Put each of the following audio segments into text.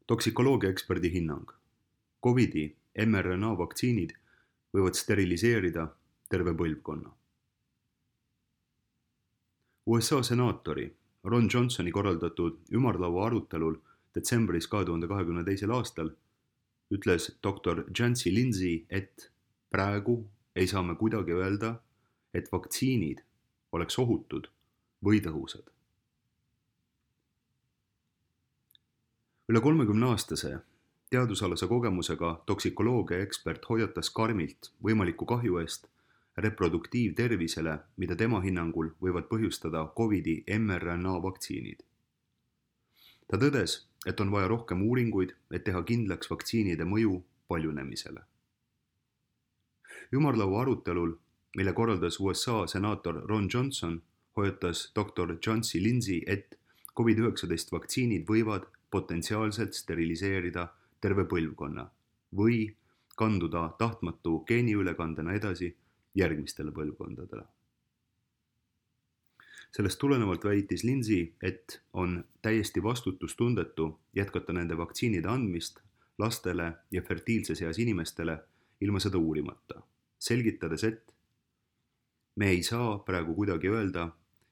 Toksikoloogia eksperdi hinnang. Covidi mRNA vaktsiinid võivad steriliseerida terve põlvkonna. USA senaatori Ron Johnsoni korraldatud ümarlaua arutelul detsembris 2022. aastal ütles doktor Jancy Lindsay, et praegu ei saa me kuidagi öelda, et vaktsiinid oleks ohutud või tõhusad. Üle 30-aastase teadusalase kogemusega toksikoloogia ekspert hoiatas karmilt võimaliku kahju eest reproduktiivtervisele, mida tema hinnangul võivad põhjustada Covidi mRNA vaktsiinid. Ta tõdes, et on vaja rohkem uuringuid, et teha kindlaks vaktsiinide mõju paljunemisele. Ümarlaua arutelul, mille korraldas USA senaator Ron Johnson, hoiatas doktor Jancy Lindsay, et COVID-19 vaktsiinid võivad potentsiaalselt steriliseerida terve põlvkonna või kanduda tahtmatu geeniülekandena edasi järgmistele põlvkondadele. Sellest tulenevalt väitis Lindsay, et on täiesti vastutustundetu jätkata nende vaktsiinide andmist lastele ja fertiilses eas inimestele ilma seda uurimata, selgitades, et me ei saa praegu kuidagi öelda,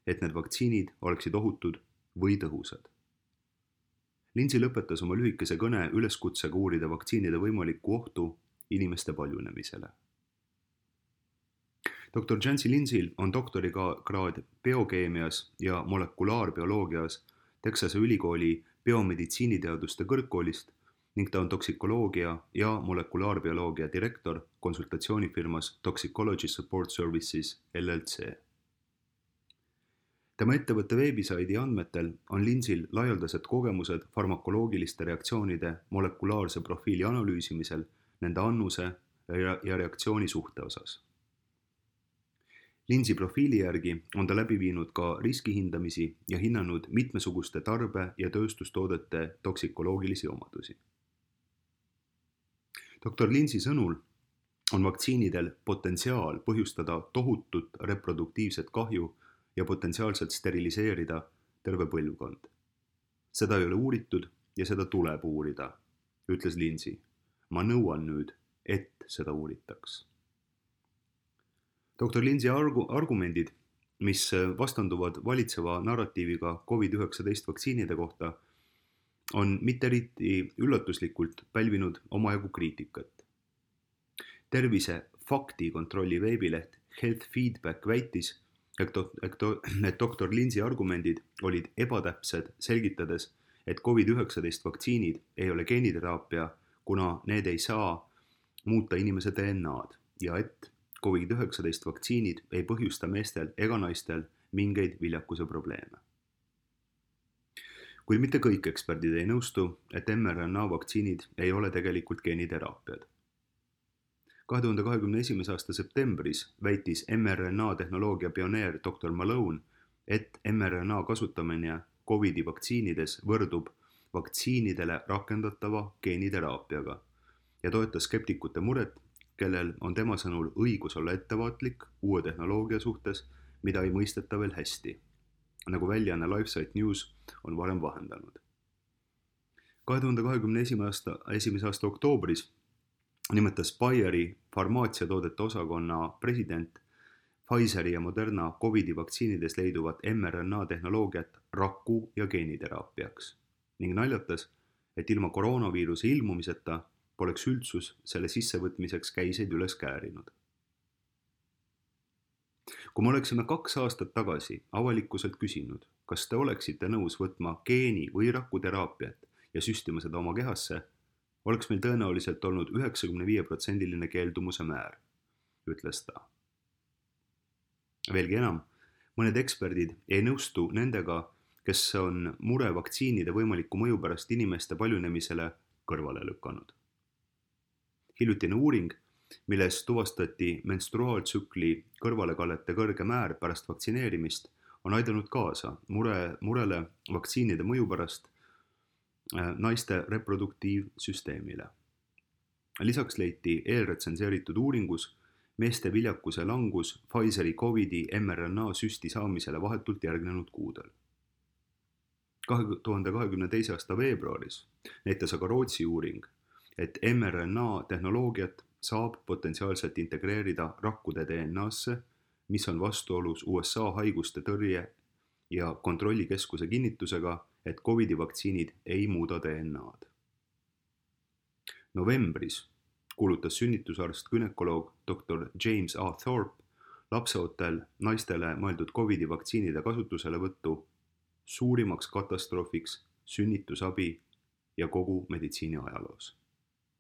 et need vaktsiinid oleksid ohutud või tõhusad. Lindsay lõpetas oma lühikese kõne üleskutsega uurida vaktsiinide võimalikku ohtu inimeste paljunemisele. Dr. Jancy Lindsayl on doktorikraad biokeemias ja molekulaarbioloogias Texase ülikooli biomeditsiiniteaduste kõrgkoolist ning ta on toksikoloogia ja molekulaarbioloogia direktor konsultatsioonifirmas Toxicology Support Services LLC. Tema ettevõtte veebisaidi andmetel on Lindsayl laialdased kogemused farmakoloogiliste reaktsioonide molekulaarse profiili analüüsimisel nende annuse ja reaktsiooni suhte osas. Lindsay profiili järgi on ta läbi viinud ka riskihindamisi ja hinnanud mitmesuguste tarbe- ja tööstustoodete toksikoloogilisi omadusi. Dr. Lindsay sõnul on vaktsiinidel potentsiaal põhjustada tohutut reproduktiivset kahju ja potentsiaalselt steriliseerida terve põlvkond. Seda ei ole uuritud ja seda tuleb uurida, ütles Lindsay. Ma nõuan nüüd, et seda uuritaks. Dr. Lindsay argumendid, mis vastanduvad valitseva narratiiviga COVID-19 vaktsiinide kohta, on mitte eriti üllatuslikult pälvinud omajagu kriitikat. Tervise faktikontrolli veebileht Health Feedback väitis, et doktor Lindsay argumendid olid ebatäpsed, selgitades, et COVID-19 vaktsiinid ei ole geeniteraapia, kuna need ei saa muuta inimese DNA-d ja et COVID-19 vaktsiinid ei põhjusta meestel ega naistel mingeid viljakuse probleeme. Kuid mitte kõik eksperdid ei nõustu, et mRNA vaktsiinid ei ole tegelikult geeniteraapiad. 2021. aasta septembris väitis mRNA tehnoloogia pioneer Dr. Malone, et mRNA kasutamine COVID-i vaktsiinides võrdub vaktsiinidele rakendatava geeniteraapiaga ja toetas skeptikute muret, kellel on tema sõnul õigus olla ettevaatlik uue tehnoloogia suhtes, mida ei mõisteta veel hästi, nagu väljaanne LifeSite News on varem vahendanud. 2021. aasta oktoobris nimetas Bayeri farmaatsiatoodete osakonna president Pfizeri ja Moderna COVID-i vaktsiinides leiduvat mRNA tehnoloogiat raku- ja geeniteraapiaks ning naljatas, et ilma koroonaviiruse ilmumiseta poleks üldsus selle sissevõtmiseks käiseid üles käärinud. Kui me oleksime 2 aastat tagasi avalikkuselt küsinud, kas te oleksite nõus võtma geeni- või rakuteraapiat ja süstima seda oma kehasse, oleks meil tõenäoliselt olnud 95% keeldumuse määr, ütles ta. Veelgi enam, mõned eksperdid ei nõustu nendega, kes on mure vaktsiinide võimaliku mõju pärast inimeste paljunemisele kõrvale lükanud. Hiljutine uuring, milles tuvastati menstruaaltsükli kõrvalekallete kõrge määr pärast vaktsineerimist, on aidanud kaasa murele vaktsiinide mõju pärast naiste reproduktiivsüsteemile. Lisaks leiti eelretsenseeritud uuringus meeste viljakuse langus Pfizeri COVID-i mRNA süsti saamisele vahetult järgnenud kuudel. 2022. aasta veebruaris näitas aga Rootsi uuring, et mRNA tehnoloogiat saab potentsiaalselt integreerida rakkude DNA-sse, mis on vastuolus USA haiguste tõrje ja kontrollikeskuse kinnitusega, et COVID-i vaktsiinid ei muuda DNA-d. Novembris kuulutas sünnitusarst gümnakoloog Dr. James A. Thorpe lapseootel naistele mõeldud COVID-i vaktsiinide kasutuselevõttu suurimaks katastroofiks sünnitusabi ja kogu meditsiini ajaloos.